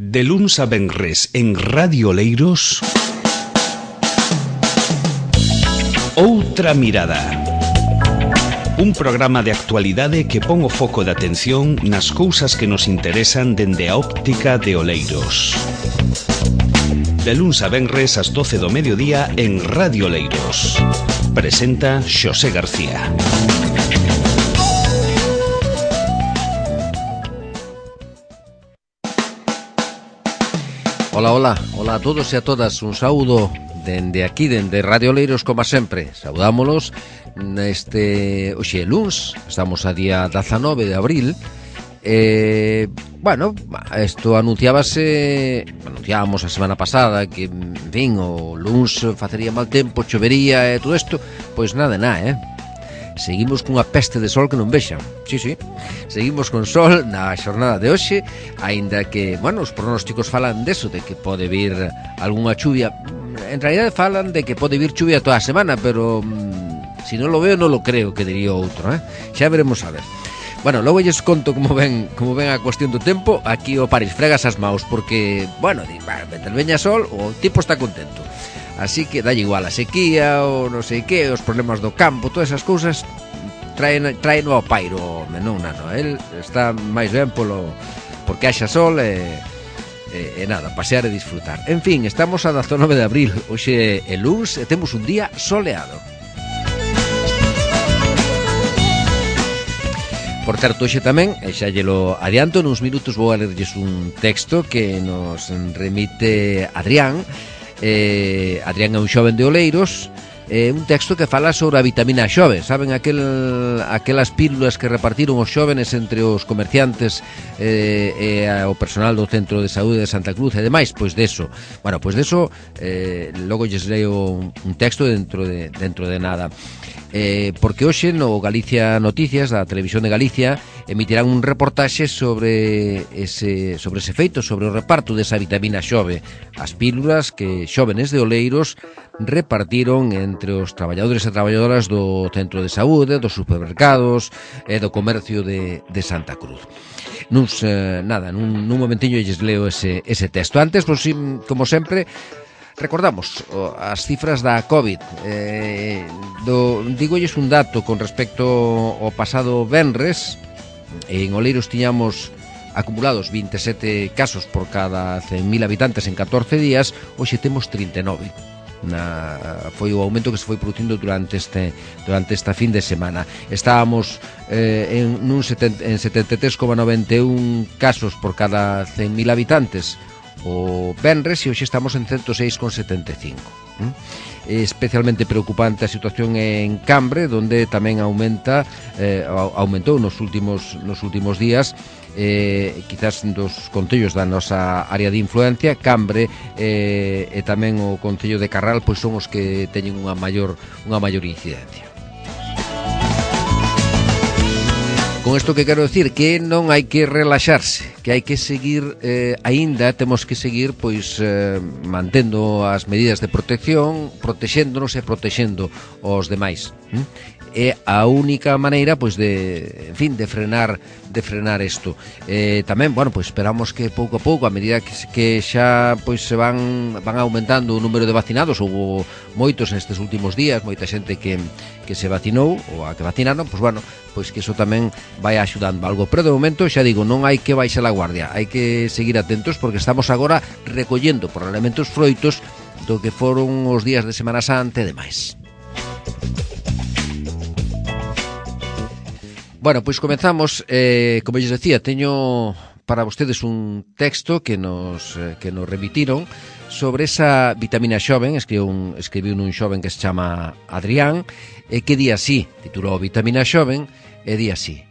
De luns a venres en Radio Oleiros, Outra Mirada. Un programa de actualidade que pon o foco de atención nas cousas que nos interesan dende a óptica de Oleiros. De luns a venres ás 12 do mediodía en Radio Oleiros. Presenta Xosé García. Hola a todos e a todas, un saúdo dende aquí, dende Radio Oleiros, como sempre. Saudámolos neste hoxe luns, estamos a día 19 de abril. Isto anunciábamos a semana pasada que, en fin, o luns facería mal tempo, chovería e todo isto. Pois nada, seguimos cunha peste de sol que non vexan. Sí, seguimos con sol na xornada de hoxe, aínda que, os pronósticos falan deso, de que pode vir algunha chuvia. En realidad falan de que pode vir chuvia toda a semana, pero si non lo veo, non lo creo, que diría outro, Xa veremos a ver. Logo lles conto como ven a cuestión do tempo. Aquí o París fregas as maus porque, mentre veña sol, o tipo está contento. Así que dalle igual a sequía, o non sei que, os problemas do campo, todas esas cousas traen ao pairo, non nano. El está máis ben porque haxa sol e nada, pasear e disfrutar. En fin, estamos a 19 de abril, hoxe é luns e temos un día soleado. Por certo, hoxe tamén, xa llelo adianto, nuns minutos vou a lerlles un texto que nos remite Adrián. Adrián é un xoven de Oleiros, un texto que fala sobre a vitamina xove. Saben aquelas pílulas que repartiron os xóvenes entre os comerciantes e o personal do Centro de Saúde de Santa Cruz e demais? Pois deso. Logo lles leo un texto dentro de nada. Porque hoxe no Galicia Noticias da Televisión de Galicia emitirán un reportaxe sobre ese feito, sobre o reparto desa vitamina xove, as pílulas que xóvenes de Oleiros repartiron entre os traballadores e traballadoras do centro de saúde, dos supermercados e do comercio de Santa Cruz. Nun momentiño lles leo ese texto. Antes, como sempre, recordamos as cifras da COVID. Dígolles un dato con respecto ao pasado venres. En Oleiros tiñamos acumulados 27 casos por cada 100.000 habitantes en 14 días. Hoxe temos 39. Foi o aumento que se foi producindo durante esta fin de semana. Estábamos en 73,91 casos por cada 100.000 habitantes o venres, e hoxe estamos en 106,75. Especialmente preocupante a situación en Cambre, donde tamén aumentou nos últimos días. Quizás dos concellos da nosa área de influencia, Cambre e tamén o concello de Carral, pois son os que teñen unha maior incidencia. Con isto que quero decir que non hai que relaxarse, que hai que seguir, aínda temos que seguir mantendo as medidas de protección, protexéndonos e protexendo os demais. É a única maneira de frenar isto. Tamén, esperamos que pouco a pouco, a medida que xa se van aumentando o número de vacinados. Houbo moitos nestes últimos días, moita xente que se vacinou ou a que vacinaron, que iso tamén vai axudando algo. Pero de momento, xa digo, non hai que baixar a guardia, hai que seguir atentos porque estamos agora recollendo probablemente os froitos do que foron os días de Semana Santa e demais. Comenzamos. Como lles decía, teño para vostedes un texto que nos remitiron sobre esa vitamina xoven. Escribiu un xoven que se chama Adrián, que di así, titulou Vitamina xoven, e di así: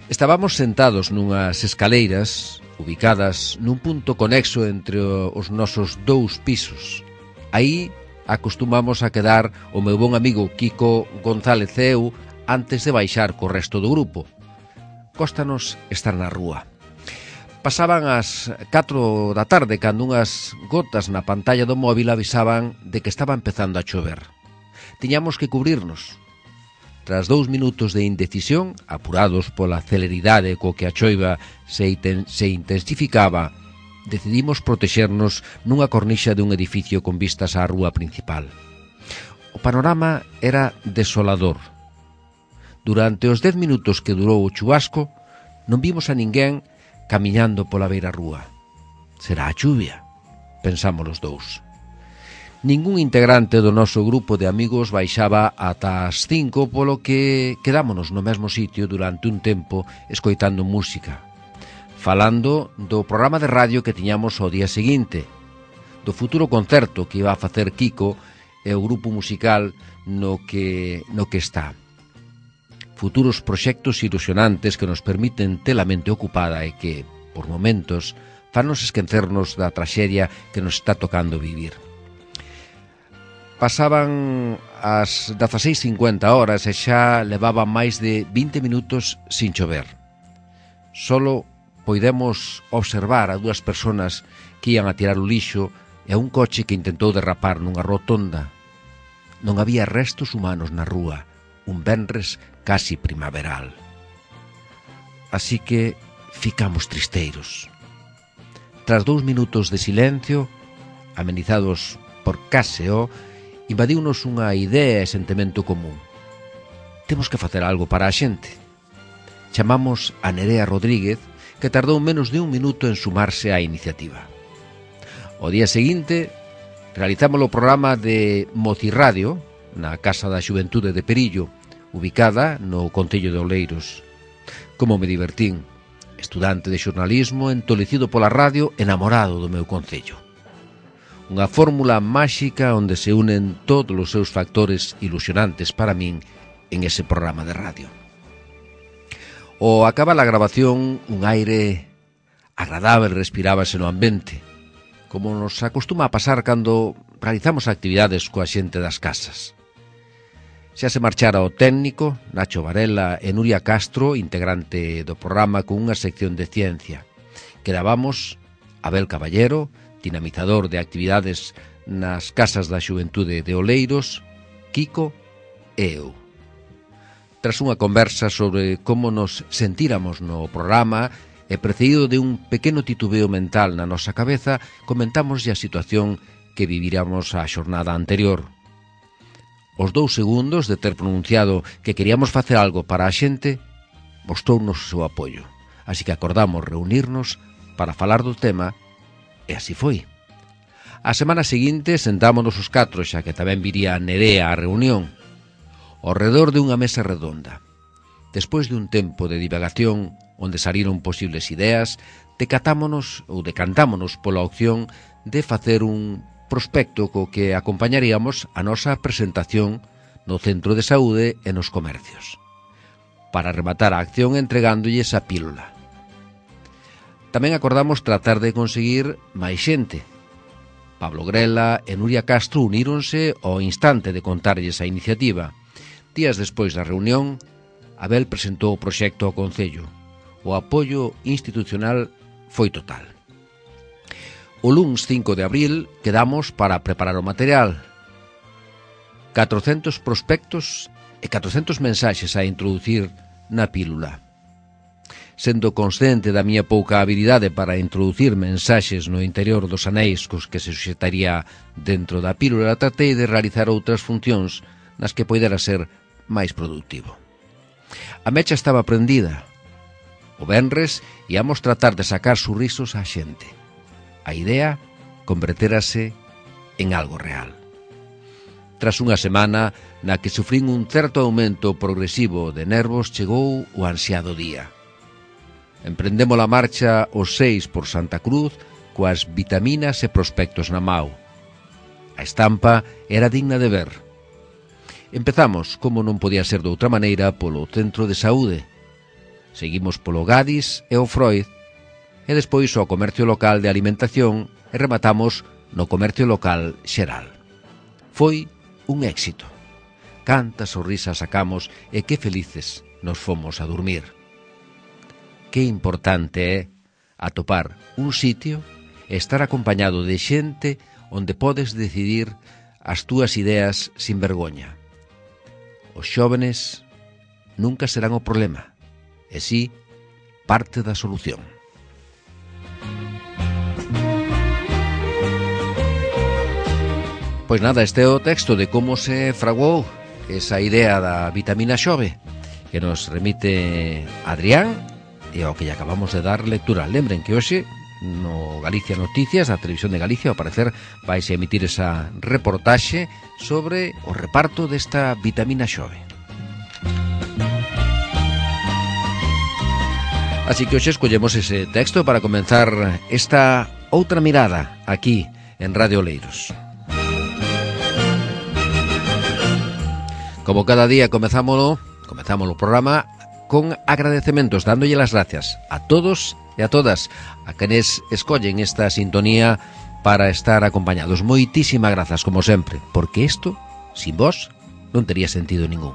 estábamos sentados nunhas escaleiras ubicadas nun punto conexo entre os nosos 2 pisos. Aí acostumamos a quedar o meu bon amigo Kiko González e eu antes de baixar co resto do grupo. Cóstanos estar na rúa. Pasaban as 4 da tarde cando unhas gotas na pantalla do móvil avisaban de que estaba empezando a chover. Tiñamos que cubrirnos. Tras 2 minutos de indecisión, apurados pola celeridade co que a choiva se intensificaba, decidimos protexernos nunha cornixa dun edificio con vistas á rúa principal. O panorama era desolador. Durante os 10 minutos que durou o chubasco, non vimos a ninguén camiñando pola beira rúa. Será a chuvia, pensamos os dous. Ningún integrante do noso grupo de amigos baixaba ata as 5, polo que quedámonos no mesmo sitio durante un tempo escoitando música, falando do programa de radio que tiñamos ao día seguinte, do futuro concerto que iba a facer Kiko e o grupo musical no que está. Futuros proxectos ilusionantes que nos permiten ter a mente ocupada e que, por momentos, fannos esquecernos da traxedia que nos está tocando vivir. Pasaban as 16:50 horas e xa levaban máis de 20 minutos sin chover. Solo poidemos observar a 2 persoas que ian a tirar o lixo e a un coche que intentou derrapar nunha rotonda. Non había restos humanos na rúa, un venres casi primaveral. Así que ficamos tristeiros. Tras 2 minutos de silencio, amenizados por Caseo, invadiunos unha idea e sentimento común. Temos que facer algo para a xente. Chamamos a Nerea Rodríguez, que tardou menos de 1 minuto en sumarse á iniciativa. O día seguinte, realizamos o programa de Mocirradio na Casa da Xuventude de Perillo, ubicada no Concello de Oleiros. Como me divertín, estudante de xornalismo, entolecido pola radio, enamorado do meu concello. Unha fórmula máxica onde se unen todos os seus factores ilusionantes para min en ese programa de radio. Ao acabar a grabación, un aire agradable respirábase no ambiente, como nos acostuma a pasar cando realizamos actividades coa xente das casas. Xa se marchara o técnico, Nacho Varela e Nuria Castro, integrante do programa con unha sección de ciencia. Quedábamos Abel Caballero, dinamizador de actividades nas casas da xuventude de Oleiros, Kiko e eu. Tras unha conversa sobre como nos sentíramos no programa e precedido de un pequeno titubeo mental na nosa cabeza, comentamos a situación que viviramos a xornada anterior. Os 2 segundos de ter pronunciado que queríamos facer algo para a xente, mostrounos o seu apoio, así que acordamos reunirnos para falar do tema. E así foi. A semana seguinte sentámonos os 4, xa que tamén viría Nerea á reunión, ao redor de unha mesa redonda. Despois de un tempo de divagación, onde saliron posibles ideas, decantámonos pola opción de facer un prospecto co que acompañaríamos a nosa presentación no centro de saúde e nos comercios, para rematar a acción entregándolles a pílula. Tamén acordamos tratar de conseguir máis xente. Pablo Grela e Nuria Castro uníronse ao instante de contarlles a iniciativa. Días despois da reunión, Abel presentou o proxecto ao Concello. O apoio institucional foi total. O luns 5 de abril quedamos para preparar o material. 400 prospectos e 400 mensaxes a introducir na pílula. Sendo consciente da miña pouca habilidade para introducir mensaxes no interior dos anéis cos que se suxetaría dentro da pílula, tratei de realizar outras funcións nas que poidera ser máis productivo. A mecha estaba prendida. O venres íamos tratar de sacar sorrisos á xente. A idea converterase en algo real. Tras unha semana na que sufrín un certo aumento progresivo de nervos, chegou o ansiado día. Emprendemos a marcha os 6 por Santa Cruz coas vitaminas e prospectos na mao. A estampa era digna de ver. Empezamos, como non podía ser de outra maneira, polo centro de saúde. Seguimos polo Gadis e o Freud, e despois ao comercio local de alimentación e rematamos no comercio local xeral. Foi un éxito. Cantas sorrisas sacamos e que felices nos fomos a dormir. Que importante é atopar un sitio e estar acompañado de xente onde podes decidir as túas ideas sin vergoña. Os xóvenes nunca serán o problema, e si parte da solución. Pois nada, este é o texto de como se fraguou esa idea da vitamina xove que nos remite Adrián e ao que lle acabamos de dar lectura. Lembren que hoxe no Galicia Noticias, a Televisión de Galicia, ao parecer vais a emitir esa reportaxe sobre o reparto desta vitamina xove. Así que hoxe escollemos ese texto para comenzar esta outra mirada aquí en Radio Oleiros. Como cada día comezamos o programa con agradecementos, dándolle las gracias a todos e a todas a quenes escollen esta sintonía para estar acompañados. Moitísimas grazas, como sempre, porque isto, sin vos, non tería sentido ningún.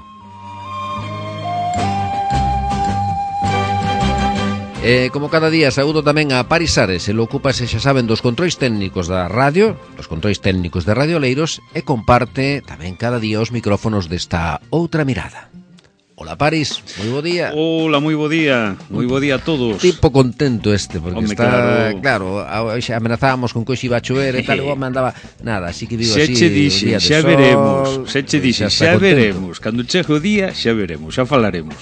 Como cada día, saúdo tamén a Paris Ares, el ocúpase, xa saben, dos controis técnicos da radio, dos controis técnicos de Radio Oleiros, e comparte tamén cada día os micrófonos desta outra mirada. Hola Paris, moi bo día. Hola, moi bo día a todos. Tipo contento este, porque Home, está, claro, xa amenazábamos con que hoxe iba a chover e tal, e o home andaba, nada, así que vivo así, dixe, xa sol, veremos, se che dixe, xa contento. veremos, cando chegue o día, xa veremos, xa falaremos.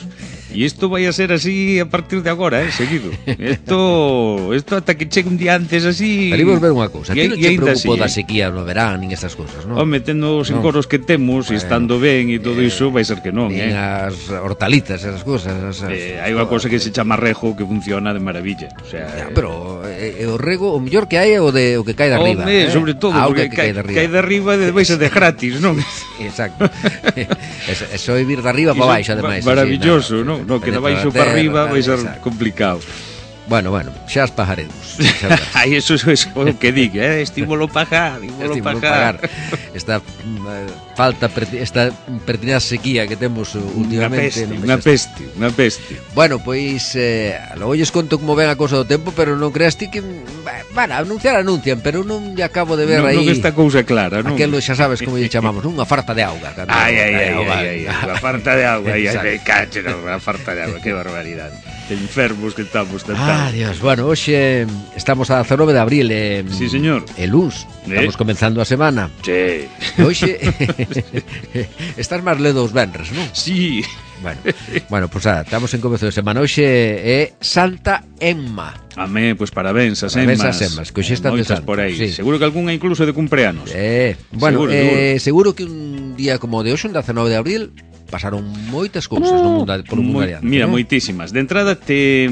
E isto vai a ser así a partir de agora, seguido. Isto ata que chegue un día antes así. Pero imos ver unha cousa, ti non che preocupo da así, sequía no verán, nin estas cousas, non? Home, tendo os encoros que temos, e estando ben e todo iso, vai ser que non, nin as hortalitas, esas cousas. Hai unha cousa que se chama rego que funciona de maravilla. O sea, pero o rego, o mellor que hai é o que cae de arriba. Home, sobre todo, porque cae de arriba e vai ser de gratis, non? Exacto. Eso é vir de arriba para baixo, ademais. Maravilloso, non? No, que de baixo para arriba vai ser complicado. Bueno, xa as pajaremos. Ai, eso é o que digo, estímulo pagar. Esta esta pertinaz sequía que temos últimamente. Unha peste. Bueno, pois logo lles conto como ven a cousa do tempo, pero non creas ti que anuncian, pero non lle acabo de ver aí. Non está cousa clara, non? Aquelo xa sabes como lle chamamos, unha farta de auga. Ai, a farta de auga, a farta de auga, que barbaridade. Que enfermos que estamos tentando. Dios, bueno, hoxe estamos a 19 de abril. Sí, señor. E luns, estamos comenzando a semana. Sí. Hoxe estás máis ledo os venres, non? Sí. Bueno, pues estamos en comezo de semana. Hoxe é Santa Emma. Amén, pues parabéns as Emmas, que hoxe están de santos por aí. Sí. Seguro que algunha incluso de cumpleanos. Bueno, seguro que un día como de hoxe, un 19 de abril, pasaron moitas cousas no mundo polo mundo adiante. Mira, moitísimas. De entrada te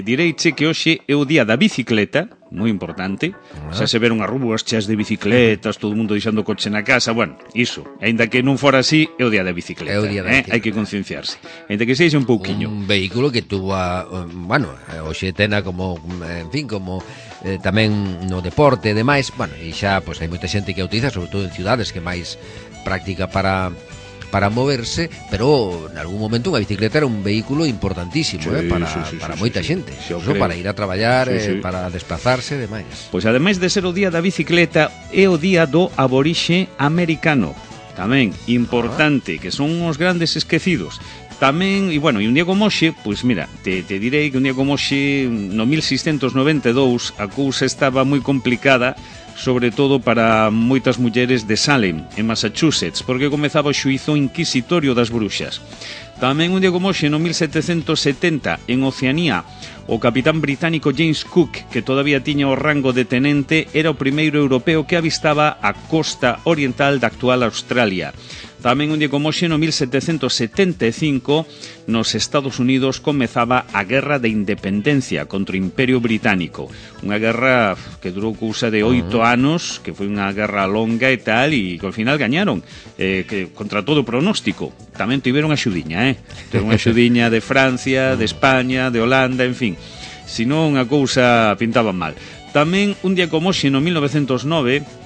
direiche que hoxe é o día da bicicleta, moi importante. Xa se veron as rúas cheas de bicicletas, todo o mundo deixando o coche na casa. Bueno, iso, aínda que non fora así, é o día da bicicleta. Hai que concienciarse. Aínda que sexa un pouquiño. Un vehículo que tuvo hoxe tena como, en fin, como tamén no deporte e demais. Bueno, e xa pois hai moita xente que a utiliza, sobre todo en ciudades, que máis práctica para moverse, pero en algún momento unha bicicleta era un vehículo importantísimo, para moita xente, para ir a traballar, para desplazarse e demais. Pois ademais de ser o día da bicicleta, é o día do aborixe americano, tamén importante, que son os grandes esquecidos. Tamén, e un día como hoxe, pois mira, te direi que un día como hoxe, no 1692, a cousa estaba moi complicada, sobre todo para moitas mulleres de Salem, en Massachusetts, porque comezaba o xuízo inquisitorio das bruxas. Tamén un día como hoxe, no 1770, en Oceanía, o capitán británico James Cook, que todavía tiña o rango de tenente, era o primeiro europeo que avistaba a costa oriental da actual Australia. Tamén un día como hoxe, no 1775, nos Estados Unidos comezaba a Guerra de Independencia contra o Imperio Británico. Unha guerra que durou cousa de 8 anos, que foi unha guerra longa e tal, e que ao final gañaron, que contra todo pronóstico. Tamén tiveron a xudiña, Tiveron a xudiña de Francia, de España, de Holanda, en fin. Senón a cousa pintaba mal. Tamén un día como hoxe, no 1909,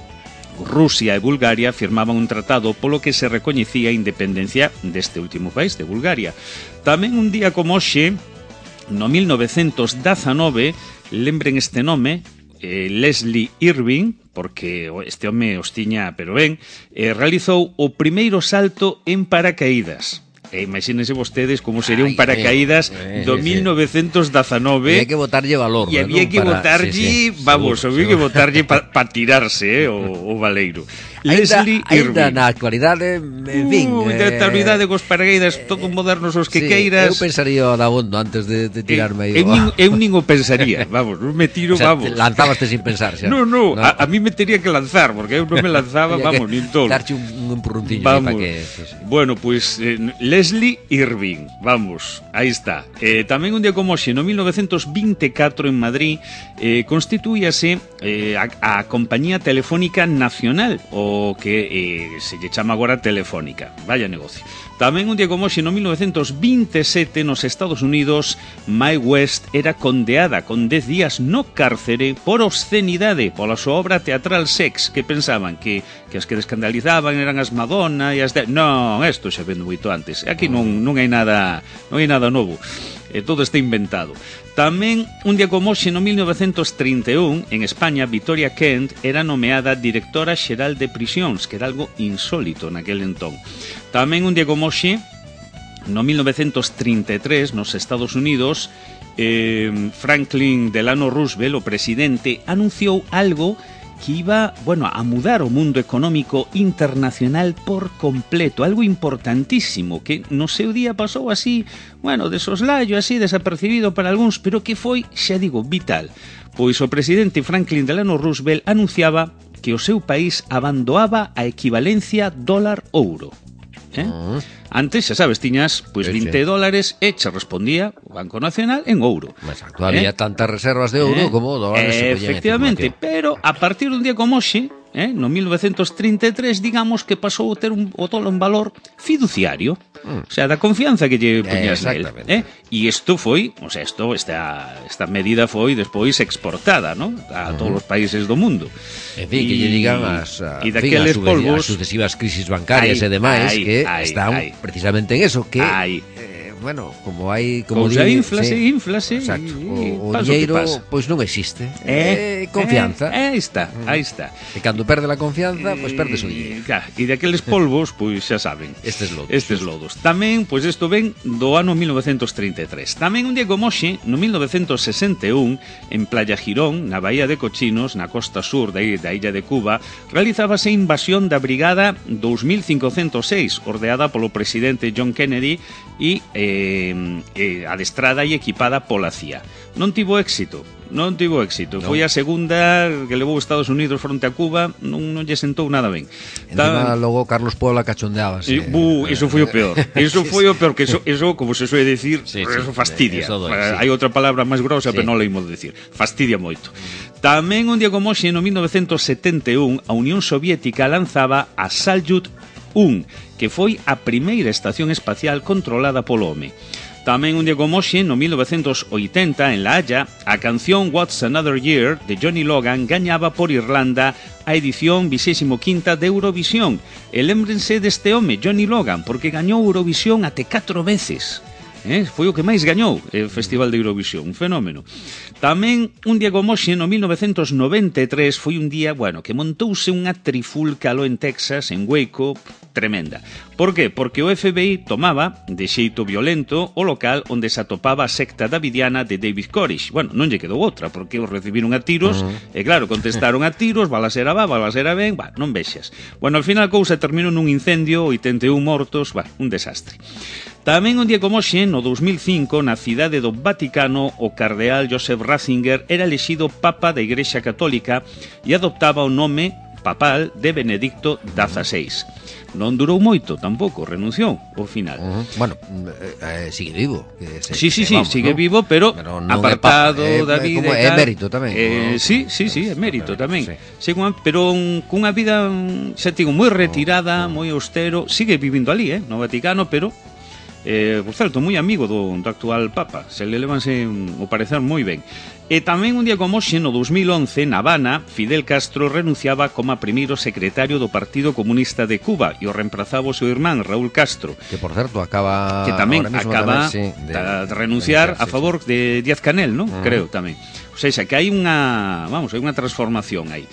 Rusia e Bulgaria firmaban un tratado polo que se recoñecía a independencia deste último país, de Bulgaria. Tamén un día como hoxe, no 1919, lembren este nome, Leslie Irving, porque este home os tiña, pero ben, realizou o primeiro salto en paracaídas. E imagínense vostedes como sería un paracaídas do 1919. E hai que botarlle valor. E había que botarlle, había que botarlle para tirarse o valeiro. Leslie Ainda Irving. na actualidade, en fin... De actualidade cos pargueiras todo modernos os que sí, queiras. Eu pensaría o dabondo antes de tirarme aí. Eu nin o pensaría, vamos, non me tiro, O sea, vamos. lanzabaste sin pensar, xa. No, a mí me tería que lanzar, porque eu non me lanzaba, vamos, nin todo. Darche un empurrunciño Vamos. para que... Sí, sí. Bueno, pues Leslie Irving, vamos, aí está. Tamén un día como hoxe, no 1924 en Madrid, constituíase a Compañía Telefónica Nacional, o que se lle chama agora Telefónica. Vaya negocio. Tamén un día como hoxe, no 1927, nos Estados Unidos, Mae West era condeada con 10 días no cárcere por obscenidade pola súa obra teatral Sex, que pensaban que as que descandalizaban eran as Madonna e as de... Non, isto xa vendo moito antes. Aquí non hai nada novo. Todo está inventado. Tamén, un día como hoxe, no 1931, en España, Victoria Kent era nomeada directora xeral de prisións, que era algo insólito naquel entón. Tamén, un día como hoxe, no 1933, nos Estados Unidos, Franklin Delano Roosevelt, o presidente, anunciou algo que iba, a mudar o mundo económico internacional por completo, algo importantísimo, que no seu día pasou así, de soslayo, así, desapercibido para algúns, pero que foi, xa digo, vital. Pois o presidente Franklin Delano Roosevelt anunciaba que o seu país abandoaba a equivalencia dólar-ouro. Antes, xa sabes, tiñas $20 e che respondía o Banco Nacional en ouro. Exacto, había tantas reservas de ouro como dólares. Efectivamente, pero a partir dun día como hoxe, no 1933, digamos que pasou a ter o dólar un valor fiduciario, o sea, da confianza que lle poñas nel. E isto foi, esta medida foi despois exportada, ¿no?, a todos os países do mundo. En fin, que lle digan as sucesivas crisis bancarias e demais que están precisamente en eso, que como hai inflase, exacto, o dinheiro pois non existe. Confianza. Aí está. E cando perde a confianza, pois perdes o dinheiro. E daqueles polvos, pois xa saben, estes lodos. Tamén, pois isto ven do ano 1933. Tamén un día como hoxe, no 1961, en Playa Girón, na Bahía de Cochinos, na costa sur da illa de Cuba, realizábase a invasión da Brigada 2506, ordeada polo presidente John Kennedy e adestrada e equipada pola CIA. Non tivo éxito. Foi a segunda que levou Estados Unidos fronte a Cuba, non lle sentou nada ben. Encima logo Carlos Puebla cachondeábase. Iso foi o peor. Que eso, como se suele decir, eso fastidia. Hai outra palabra máis grosa, pero non leimo de decir. Fastidia moito. Tamén un día como hoxe, no 1971, a Unión Soviética lanzaba a Salyut 1, que foi a primeira estación espacial controlada polo home. Tamén un día como hoxe, no 1980, en La Haya, a canción What's Another Year, de Johnny Logan, gañaba por Irlanda a edición 25ª de Eurovisión. E lémbrense deste home, Johnny Logan, porque gañou Eurovisión até 4 veces. Foi o que máis gañou o Festival de Eurovisión, un fenómeno. Tamén un día como hoxe, no 1993, foi un día, que montouse unha trifulca aló en Texas, en Waco, tremenda. Por qué? Porque o FBI tomaba, de xeito violento, o local onde se atopaba a secta davidiana de David Koresh. Non lle quedou outra, porque os recibiron a tiros, e claro, contestaron a tiros, balasera ben, non vexas. Al final a cousa terminou nun incendio, 81 mortos, un desastre. Tamén un día como hoxe, no 2005, na cidade do Vaticano, o cardeal Joseph Ratzinger era elexido Papa da Igrexa Católica e adoptaba o nome papal de Benedicto XVI. Non durou moito tampouco, renunciou ao final. Sigue vivo. Sigue vivo, pero apartado da vida. É mérito tamén. Sí, é mérito tamén. Pero cunha vida, xa digo, moi retirada, moi austero. Sigue vivindo ali, no Vaticano, pero por certo, moi amigo do actual Papa. Se le levanse o parecer moi ben. E tamén un día como hoxe, no 2011, na Habana, Fidel Castro renunciaba como primeiro secretario do Partido Comunista de Cuba e o reemplazaba o seu irmán, Raúl Castro. Que, por certo, acaba... Que tamén acaba de renunciar a favor de Díaz-Canel, non? Creo tamén. O sea, que hai unha transformación aí.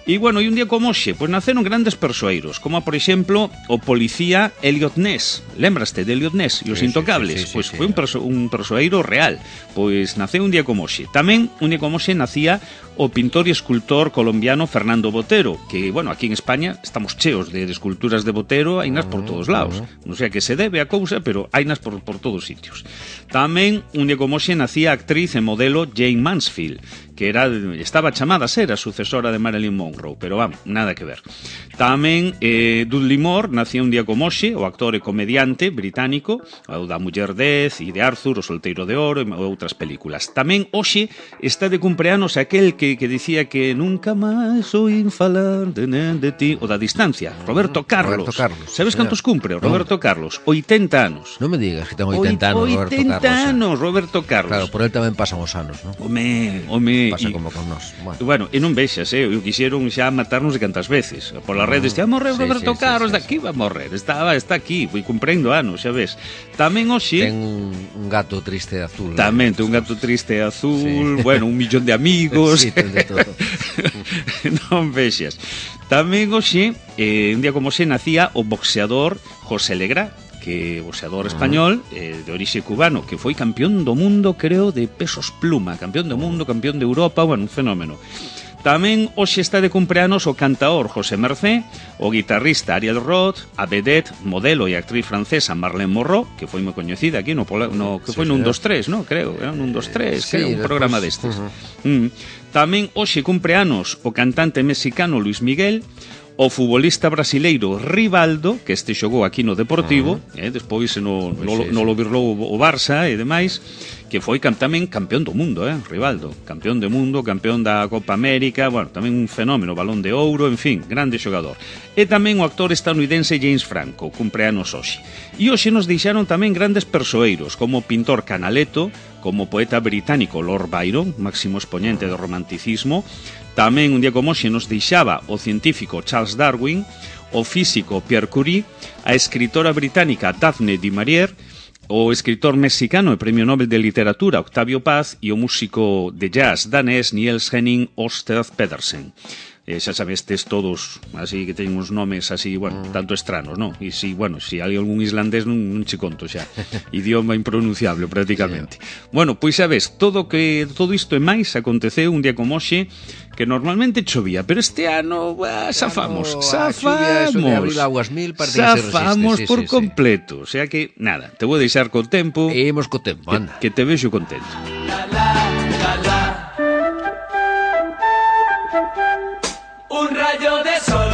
E, bueno, e un día como hoxe, pois naceron grandes persoeiros, como, por exemplo, o policía Elliot Ness. Lembraste de Elliot Ness e os Intocables? Pois foi un persoeiro real. Pois naceu un día como hoxe. Tamén, un día como hoxe, nacía o pintor e escultor colombiano Fernando Botero, que, bueno, aquí en España estamos cheos de esculturas de Botero, hainas por todos lados. Non sei a que se debe a cousa, pero hainas por todos sitios. Tamén, un día como hoxe, nacía a actriz e modelo Jane Mansfield, que estaba chamada a ser a sucesora de Marilyn Monroe, pero vamos, nada que ver. Tamén Dudley Moore nacía un día como hoxe, o actor e comediante británico, o da Muller 10 e de Arthur, o Solteiro de Oro e outras películas. Tamén hoxe está de cumpleanos aquel que dicía que nunca máis oín falar de ti, o da distancia, Roberto Carlos. Sabes cantos cumpre o Roberto Carlos? 80 anos. Non me digas que ten 80 anos Roberto Carlos. 80 anos Roberto Carlos. Claro, por él tamén pasan os anos, non? Home, pasa como con nós. Bueno, e non vexas, eu quixeron xa matarnos de cantas veces. Por las redes, a morrer Roberto Carlos, daqui va a morrer. Está aquí, foi cumprindo anos, xa ves. Tamén hoxe ten un gato triste azul. Tamén ten un gato triste azul, bueno, 1 millón de amigos. Sí, ten de todo. Non vexas. Tamén hoxe, un día como hoxe, nacía o boxeador José Legrá, que boxeador español de orixe cubano, que foi campeón do mundo, creo, de pesos pluma, campeón do mundo, campeón de Europa, bueno, un fenómeno. Tamén hoxe está de cumpleanos o cantaor José Mercé, o guitarrista Ariel Roth, a vedette, modelo e actriz francesa Marlene Morrow, que foi moi coñecida aquí que foi nun 2-3, no? Creo, era nun 2-3, creo, un programa destes. Tamén hoxe cumpleanos o cantante mexicano Luis Miguel, o futbolista brasileiro Rivaldo, que este xogou aquí no Deportivo, despois no lo virlou o Barça e demais, que foi tamén campeón do mundo, Rivaldo, campeón do mundo, campeón da Copa América, bueno, tamén un fenómeno, Balón de Ouro, en fin, grande xogador. E tamén o actor estadounidense James Franco, cumpleanos hoxe. E hoxe nos deixaron tamén grandes persoeiros, como o pintor Canaletto, como o poeta británico Lord Byron, máximo exponente do romanticismo. Tamén un día como hoxe nos deixaba o científico Charles Darwin, o físico Pierre Curie, a escritora británica Daphne du Maurier, o escritor mexicano e premio Nobel de Literatura Octavio Paz e o músico de jazz danés Niels Henning Ørsted Pedersen. Xa sabestes todos, así que ten uns nomes así, bueno, tanto estranos, non? E si, bueno, si hai algún islandés non che conto xa. Idioma impronunciable prácticamente. Bueno, pois xa ves, todo isto e máis aconteceu un día como hoxe, que normalmente chovía, pero este ano zafamos por completo, o sea que nada, te vou deixar co tempo. Imos co tempo, anda. Que te vexo contento. Un rayo de sol,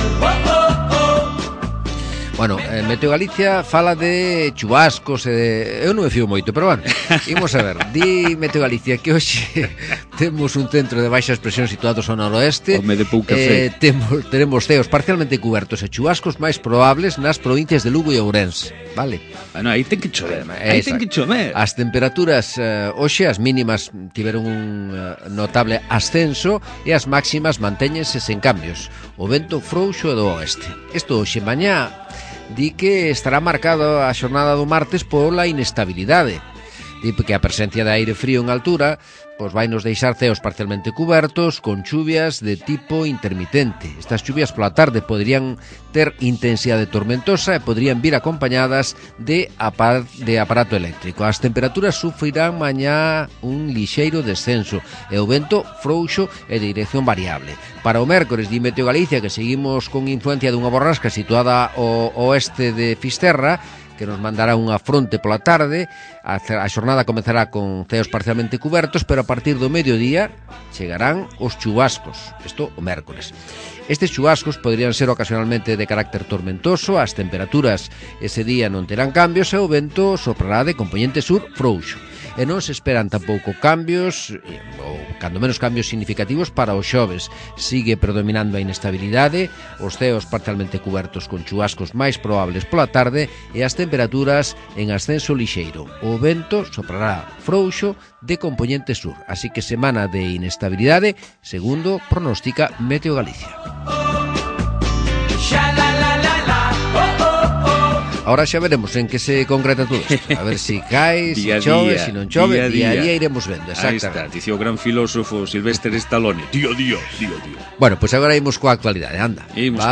Bueno, Meteo Galicia fala de chubascos e de... Eu non me fío moito, pero bueno, imos a ver. Di Meteo Galicia que hoxe temos un centro de baixas presións situados ao noroeste. Home de pouca fe. Teremos ceos parcialmente cubertos e chubascos máis probables nas provincias de Lugo e Ourense. Vale? Bueno, aí ten que chover. Aí ten que chover. As temperaturas hoxe, as mínimas tiveron un notable ascenso e as máximas mantéñense sen cambios. O vento frouxo e do oeste. Isto hoxe mañá di que estará marcado a xornada do martes pola inestabilidade. Di que a presencia de aire frío en altura pois vai nos deixar ceos parcialmente cubertos con chuvias de tipo intermitente. Estas chuvias pola tarde poderían ter intensidade tormentosa e poderían vir acompañadas de aparato eléctrico. As temperaturas sufrirán mañá un lixeiro descenso e o vento frouxo e de dirección variable. Para o mércores, di Meteo Galicia, que seguimos con influencia dunha borrasca situada ao oeste de Fisterra, que nos mandará unha fronte pola tarde. A xornada comezará con ceos parcialmente cubertos, pero a partir do mediodía chegarán os chubascos, isto o mércores. Estes chubascos poderían ser ocasionalmente de carácter tormentoso, as temperaturas ese día non terán cambios e o vento soprará de componente sur frouxo. E non se esperan tampouco cambios, ou cando menos cambios significativos para os xoves. Sigue predominando a inestabilidade, os ceos parcialmente cubertos con chubascos máis probables pola tarde e as temperaturas en ascenso lixeiro. O vento soprará frouxo de componente sur, así que semana de inestabilidade, segundo pronostica Meteo Galicia. Ahora xa veremos en que se concreta todo isto. A ver si cae, si chove, si non chove. Día a día iremos vendo, exactamente. Aí está, dicía o gran filósofo Sylvester Stallone. Día a día. Bueno, pois agora imos coa actualidade, anda. Imos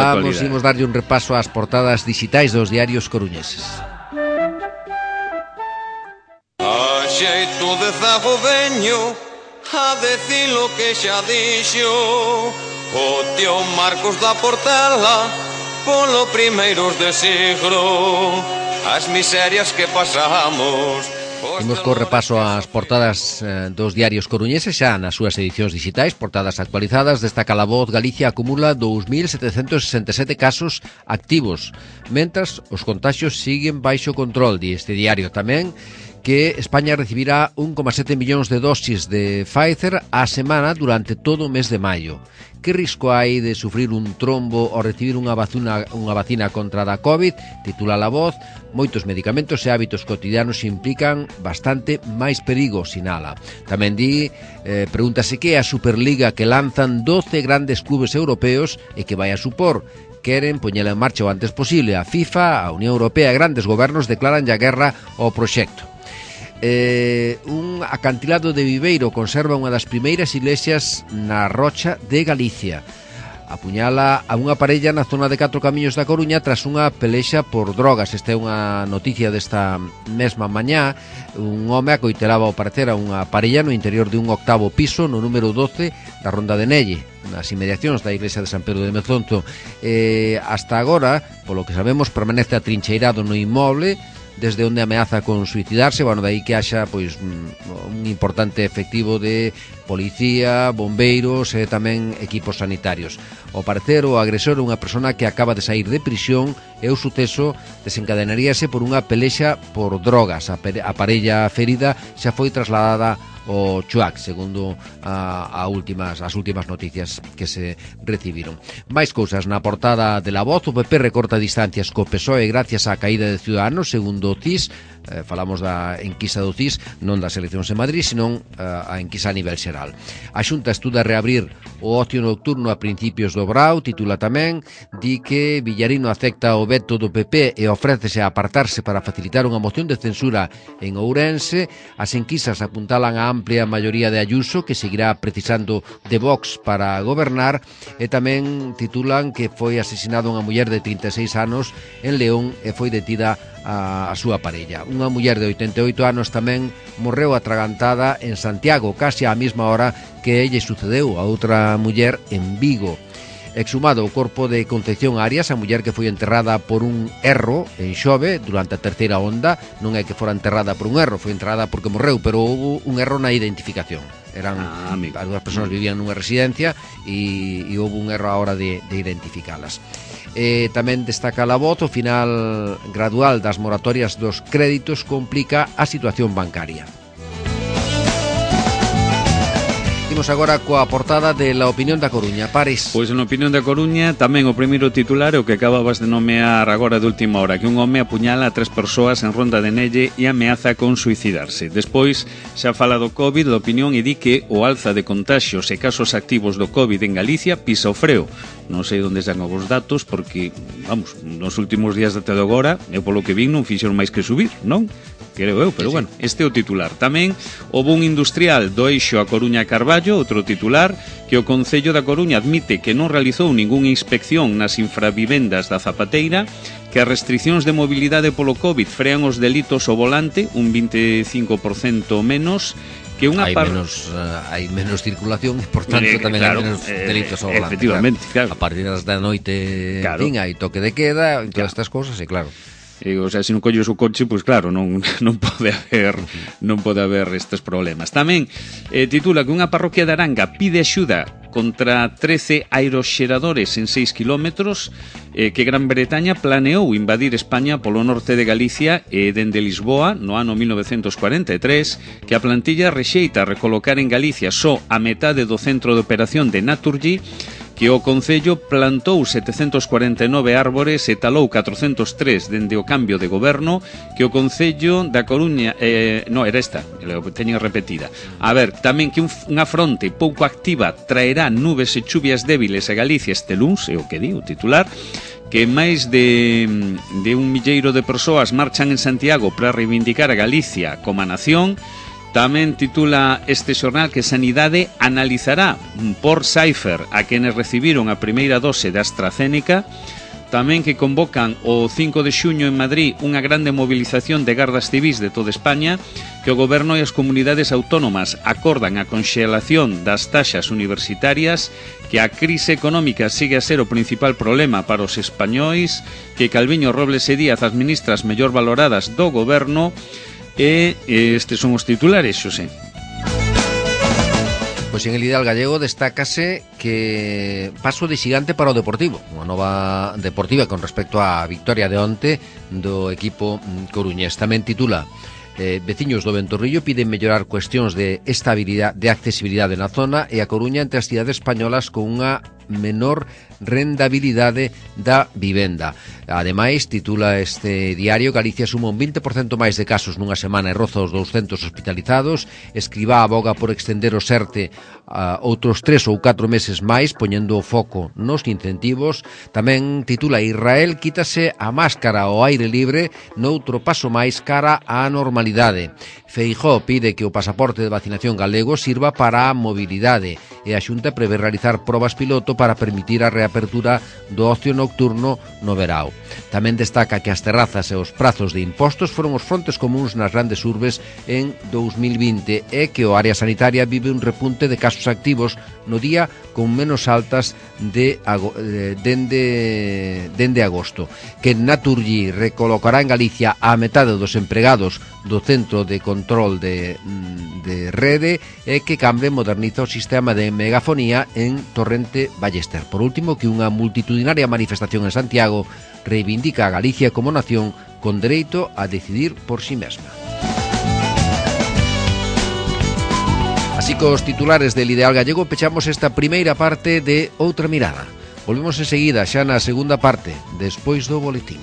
darlle un repaso ás portadas digitais dos diarios coruñeses. A xeito de zago veño a decir lo que xa dixo o tío Marcos da Portela polo primeiros de siglo as miserias que pasamos. Imos co repaso ás portadas dos diarios coruñeses xa nas súas edicións digitais, portadas actualizadas. Destaca La Voz: Galicia acumula 2.767 casos activos, mentras os contaxios siguen baixo control. Di este diario tamén que España recibirá 1,7 millóns de dosis de Pfizer á semana durante todo o mes de maio. Que risco hai de sufrir un trombo ao recibir unha vacina contra a COVID? Titula La Voz. Moitos medicamentos e hábitos cotidianos implican bastante máis perigo, sinala. Tamén di, pregúntase que é a Superliga que lanzan 12 grandes clubes europeos e que vai a supor. Queren poñela en marcha o antes posible. A FIFA, a Unión Europea e grandes gobernos declaran ya guerra ao proxecto. Un acantilado de Viveiro conserva unha das primeiras iglesias na Rocha de Galicia. Apuñala a unha parella na zona de 4 Camiños da Coruña tras unha pelexa por drogas. Esta é unha noticia desta mesma mañá. Un home acoitelaba ao parecer a unha parella no interior de un 8º piso no número 12 da Ronda de Nelle, nas inmediacións da iglesia de San Pedro de Mezonzo. Hasta agora, polo que sabemos, permanece atrincheirado no inmoble, desde onde ameaza con suicidarse. Bueno, de aí que haxa pois un importante efectivo de policía, bombeiros e tamén equipos sanitarios. Ao parecer, o agresor é unha persona que acaba de sair de prisión e o suceso desencadenaríase por unha pelexa por drogas. A parella ferida xa foi trasladada o Chuac, segundo as últimas noticias que se recibiron. Máis cousas na portada de La Voz. O PP recorta distancias co PSOE gracias á caída de Ciudadanos, segundo o CIS. Falamos da enquisa do CIS, non das eleccións en Madrid, senón a enquisa a nivel xeral. A Xunta estuda reabrir o ocio nocturno a principios do Brao, titula tamén. Di que Villarino acepta o veto do PP e ofrécese a apartarse para facilitar unha moción de censura en Ourense. As enquisas apuntalan a amplia maioría de Ayuso, que seguirá precisando de Vox para gobernar. E tamén titulan que foi asesinado unha muller de 36 anos en León e foi detida a súa parella. Unha muller de 88 anos tamén morreu atragantada en Santiago, casi á mesma hora que lle sucedeu a outra muller en Vigo. Exhumado o corpo de Concepción Arias, a muller que foi enterrada por un erro en Xove durante a terceira onda. Non é que fora enterrada por un erro, foi enterrada porque morreu, pero houve un erro na identificación. As dúas persoas vivían nunha residencia e houve un erro a hora de identificalas. Tamén destaca La Voz: o final gradual das moratorias dos créditos complica a situación bancaria. Imos agora coa portada de La Opinión da Coruña. Pares. Pois na Opinión da Coruña tamén o primeiro titular é o que acababas de nomear agora de última hora, que un home apuñala a 3 persoas en Ronda de Nelle e ameaza con suicidarse. Despois xa fala do COVID, da Opinión, e di que o alza de contaxios e casos activos do COVID en Galicia pisa o freo. Non sei onde están os datos porque, vamos, nos últimos días até de agora, eu polo que vin non fixeron máis que subir, non? Creo eu, pero bueno, este é o titular. Tamén o boom industrial do eixo a Coruña Carballo, outro titular, que o Concello da Coruña admite que non realizou ningunha inspección nas infravivendas da Zapateira, que as restriccións de mobilidade polo COVID frean os delitos ao volante, un 25% menos, que unha hai menos circulación, por tanto tamén claro, hai menos delitos ao volante. Efectivamente, claro. A partir das da noite, claro, hai toque de queda, en todas estas cousas, e claro. O sea, se non colles o coche, pois claro, non pode haber estes problemas. Tamén titula que unha parroquia de Aranga pide axuda contra 13 aeroxeradores en 6 kilómetros, que Gran Bretaña planeou invadir España polo norte de Galicia e dende Lisboa no ano 1943, que a plantilla rexeita recolocar en Galicia só a metade do centro de operación de Naturgy, que o Concello plantou 749 árbores e talou 403 dende o cambio de goberno, que o Concello da Coruña era esta, teñen repetida. A ver, tamén que unha fronte pouco activa traerá nubes e chuvias débiles a Galicia este luns, é o que di o titular, que máis de un milleiro de persoas marchan en Santiago para reivindicar a Galicia como nación. Tamén titula este xornal que Sanidade analizará por Cypher a quenes recibiron a primeira dose de AstraZeneca. Tamén que convocan o 5 de xuño en Madrid unha grande movilización de gardas civis de toda España, que o goberno e as comunidades autónomas acordan a conxelación das taxas universitarias, que a crise económica sigue a ser o principal problema para os españois, que Calviño, Robles e Díaz as ministras mellor valoradas do goberno. E estes son os titulares, Xosé. Pois en el Ideal Gallego destácase que paso de xigante para o Deportivo, unha nova deportiva con respecto á victoria de onte do equipo coruñés. Tamén titula veciños do Ventorrillo piden mellorar cuestións de estabilidade, de accesibilidade na zona, e a Coruña entre as cidades españolas con unha menor rendabilidade da vivenda. Ademais, titula este diario, Galicia suma un 20% máis de casos nunha semana e roza os 200 hospitalizados. Escribá aboga por extender o SERTE a outros 3 ou 4 meses máis, poñendo o foco nos incentivos. Tamén titula Israel quítase a máscara ao aire libre noutro paso máis cara á normalidade. Feijóo pide que o pasaporte de vacinación galego sirva para a mobilidade e a Xunta prevé realizar probas piloto para permitir a reapertura do ocio nocturno no verao. Tamén destaca que as terrazas e os prazos de impostos foron os frontes comuns nas grandes urbes en 2020 e que o área sanitaria vive un repunte de casos activos no día con menos altas dende agosto. Que Naturgy recolocará en Galicia a metade dos empregados do Centro de Control de Rede e que Cambre moderniza o sistema de megafonía en Torrente Ballester. Por último, que unha multitudinaria manifestación en Santiago reivindica a Galicia como nación con dereito a decidir por si mesma. Así que os titulares del Ideal Gallego pechamos esta primeira parte de Outra Mirada. Volvemos enseguida xa na segunda parte, despois do boletín.